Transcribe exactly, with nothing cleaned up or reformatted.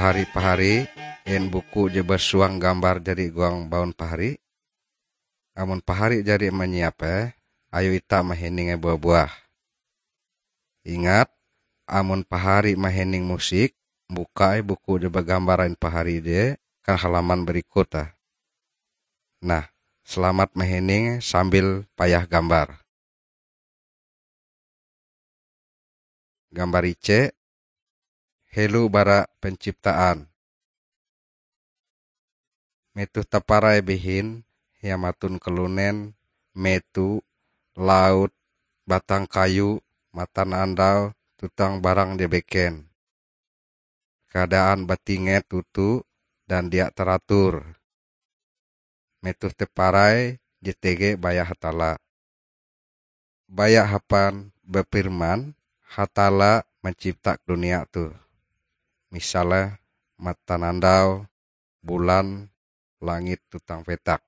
Pahari-pahari, en buku je basuang gambar jari huang baun pahari? Amon pahari jari manyiape, ayo ita mahininge buah-buah. Ingat, amon pahari mahining musik, bukai buku je bagambar ain pahari je kan halaman berikut ah. Nah, selamat mahining sambil payah gambar. Gambar ice, helo bara penciptaan. Metoh taparai bihin, hiamatun kalunen, meto, laut, batang kayu, matanandau, tuntang barang je beken. Keadaan batinget toto dan dia taratur. Metoh taparai je tege baya Hatalla. Baya hapan bapirman, Hatalla mancipta dunia toh. Misale matanandau, bulan, langit tuntang petak.